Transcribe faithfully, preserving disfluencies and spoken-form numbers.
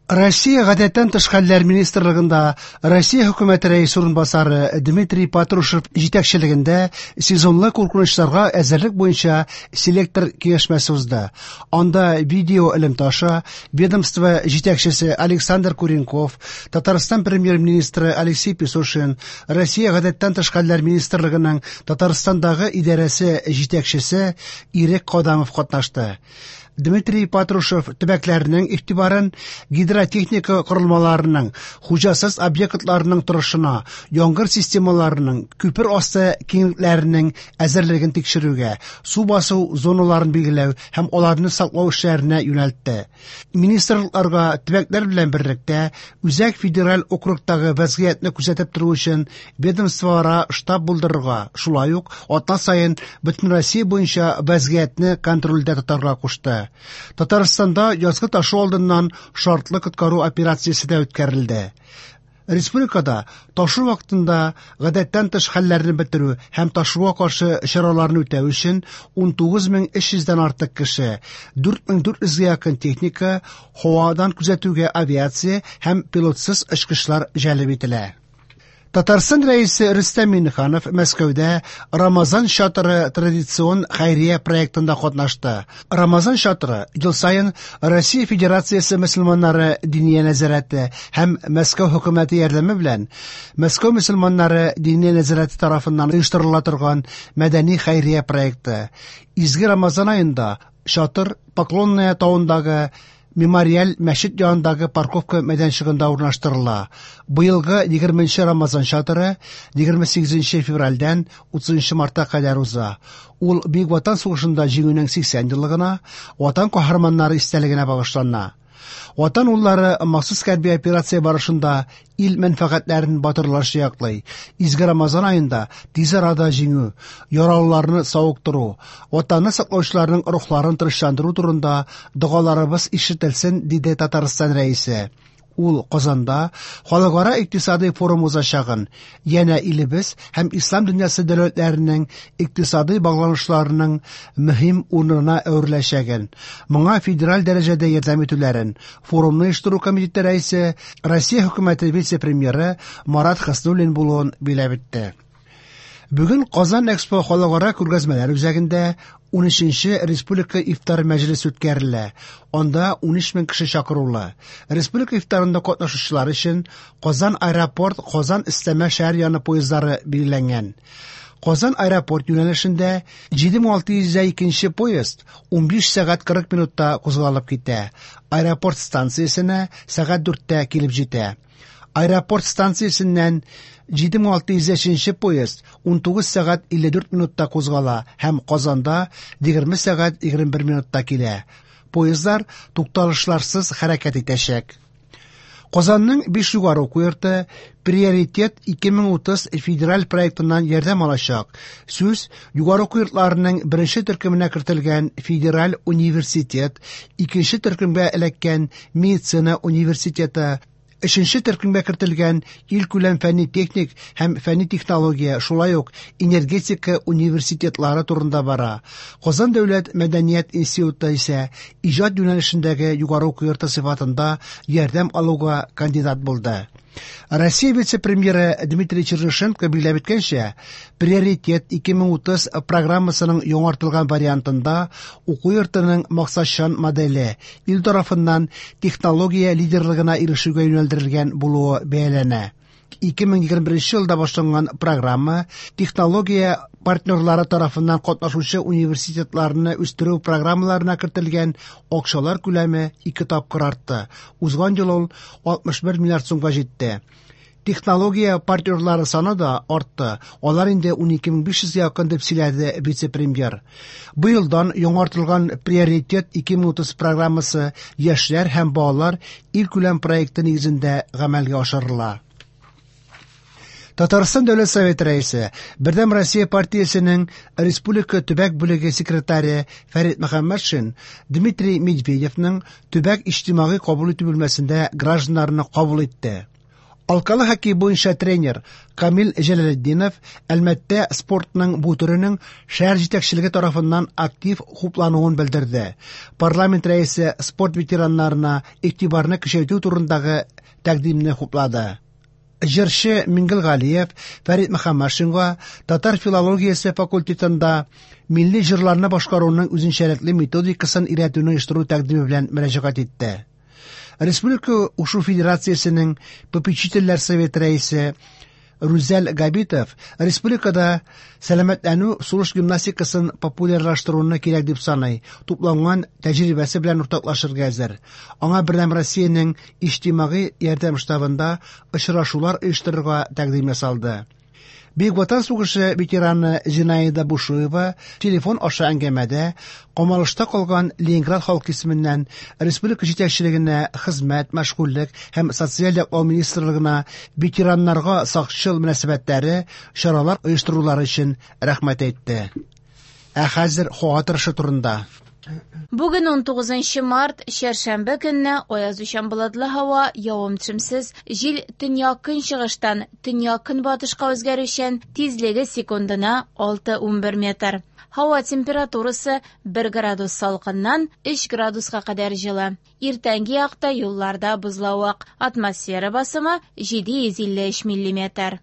Россия гадәттән тыш хәлләр министрлыгында Россия хөкүмәте рәисе урынбасары Дмитрий Патрушев җитәкчелегендә сезонлы куркынычларга әзерлек буенча селектор киңәшмәсе узды. Анда видео элемтә аша ведомство җитәкчесе Александр Куренков, Татарстан премьер-министры Алексей Песошин, Россия гадәттән тыш хәлләр министрлыгының Татарстандагы идарәсе җитәкчесе Ирек Кадамов катнашты. Дмитрий Патрушев төбәкләрнең игътибарын гидротехника корылмаларының, хуҗасыз объектларының торышына, яңгыр системаларының, күпер асты киңлекләренең әзерлеген тикшерүгә, су басу зоналарын билгеләү һәм аларны саклау эшләренә юнәлтте. Министрлыкларга төбәкләр белән берлектә Үзәк федераль округтагы вәзгыятьне күзәтеп тору өчен ведомствоара штаб булдырырга, шулай ук атна саен Бөтенроссия буенча вәзгыятьне контрольдә тотарга кушты. Татарстанда язгы ташу алдыннан шартлы коткару операциясе дә үткәрелде. Республикада ташу вакытында гадәттән тыш хәлләрне бетерү һәм ташуга каршы чараларны үтәү өчен ун тугыз мең өч йөздән артык кеше, дүрт мең дүрт йөзгә якын техника, һавадан күзәтүгә авиация һәм пилотсыз очкычлар җәлеп ителә. Татарстан рәисе Рөстәм Миңнеханов Мәскәүдә Рамазан чатыры традицион хәйрия проектында катнашты. Рамазан чатыры ел саен Россия Федерациясе мөселманнары диния нәзарәте һәм Мәскәү хөкүмәте ярдәме белән Мәскәү мөселманнары диния нәзарәте тарафыннан оештырыла торган мәдәни хәйрия проекты. Изге Рамазан аенда чатыр Поклонная тауындагы мемориаль мәчет янындагы парковка мәйданчыгында урнаштырыла. Быелгы егерменче Рамазан чатыры егерме сигезенче февральдән утызынчы мартка кадәр уза. Ул Бөек Ватан сугышында җиңүнең сиксән еллыгына, Ватан каһарманнары истәлегенә багышлана. Ватан уллары махсус хәрби операция барышында ил мәнфәгатьләрен батырларча яклый. Изге Рамазан аенда тиз арада җиңү, яралыларны савыктыру, Ватанны саклаучыларның рухларын тынычландыру турында догаларыбыз ишетелсен, диде Татарстан рәисе. Ул Казанда халыкара икътисади форум узачагын, янә илебез һәм ислам дөньясы дәүләтләренең икътисади багланышларының мөһим урынына әвереләчәген, моңа федераль дәрәҗәдә ярдәм итүләрен форумны оештыру комитеты рәисе, Россия хөкүмәте вице-премьеры Марат Хуснуллин булуын биләп итте. Бүген Казан Экспо халыкара күргәзмәләр үзәгендә унөченче республика ифтар мәҗлесе үткәрелә. Анда унөч мең кеше чакырулы. Республика ифтарында катнашучылар өчен Казан аэропорт, Казан өстәмә шәһәр яны поездлары билгеләнгән. Казан аэропорт юнәлешендә җиде мең алты йөз икенче поезд унбиш сәгать кырык минутта кузгалып китә. Аэропорт станциясенә сәгать дүрттә килеп җитә. Аэропорт станциясеннән җиде мең алты йөз өченче поезд унтугыз сәгать илле дүрт минутта кузгала һәм Казанда егерме сәгать егерме бер минутта килә. Поездлар тукталышларсыз хәрәкәт итәчәк. Казанның биш югары уку йорты Приоритет ике мең утыз федераль проектыннан ярдәм алачак. Сүз югары уку йортларының беренче төркеменә кертелгән Федераль университет, икенче төркемгә эләккән Медицина университеты, өченче төркемгә кертелгән илкүләм фәнни-техник һәм фәнни-технология, шулай ук энергетика университетлары турында бара. Казан дәүләт мәдәният институты исә иҗат юнәлешендәге югары уку йорты сыйфатында ярдәм алуга кандидат булды. Россия вице-премьеры Дмитрий Чернышенко билгеләп үткәнчә, Приоритет ике мең утыз программасының яңартылган вариантында уку йортының максатчан моделе ил тарафыннан технология лидерлыгына ирешүгә юнәлдерелгән булуы бәяләнә. Ике мең егерме беренче елда башланган программа технология партнерлары тарафыннан катнашучы университетларны үстерү программаларына кертелгән акчалар күләме ике тапкыр артты. Узган ел ул алтмыш бер миллиард сумга җитте. Технология партнерлары саны да артты. Алар инде ун ике мең биш йөзгә якын, дип сөйләде вице-премьер. Бу елдан яңартылган Приоритет ике мең утыз программасы яшьләр һәм балалар илкүләм проекты нигезендә гамәлгә ашырыла. Татарстан Дәүләт Советы рәисе, Бердәм Россия партиясенең Республика төбәк бүлеге секретаре Фәрит Мөхәммәтшин Дмитрий Медведевның төбәк иҗтимагый кабул итү бүлмәсендә гражданнарны кабул итте. Алкалы хоккей буенча тренер Камил Җәләлетдинов Әлмәттә спортның бу төренең шәһәр җитәкчелеге тарафыннан актив хуплануын белдерде. Парламент рәисе спорт ветераннарына игътибарны көчәйтү турындагы тәкъдимне хуплады. Җырчы Миңгел Галиев Фәрит Мөхәммәтшинга татар филологиясе факультетында милли җырларны башкаруның үзенчәлекле методикасын өйрәтүне оештыру тәкъдиме белән мөрәҗәгать итте. Республика Ушу Федерациясенең попечительләр советы рәисе Рүзәл Габитов республикада сәламәтләнү сулыш гимнастикасын популярлаштыруны кирәк дип саный, тупланган тәҗрибәсе белән уртаклашырга әзер. Аңа Бердәм Россиянең иҗтимагый ярдәм штабында очрашулар оештырырга тәкъдим ясалды. Бөек Ватан сугышы ветераны Зинаида Бушуева телефон аша әңгәмәдә камалышта калган Ленинград халкы исеменнән республика җитәкчелегенә, хезмәт, мәшгульлек һәм социаль яклау министрлыгына ветераннарга сакчыл мөнәсәбәтләре, чаралар оештырулары өчен рәхмәт әйтте. Ә хәзер һава торышы турында. Бүген унтугызынчы март, чәршәмбе көнне аязучан болытлы һава, явым-төшемсез, җил төньяк-көнчыгыштан төньяк-көнбатышка үзгәрүчән, тизлеге секундына алты унбер метр. Һава температурасы бер градус салкыннан өч градуска кадәр җылы. Иртәнге якта юлларда бозлавык, атмосфера басымы җиде йөз илле өч миллиметр.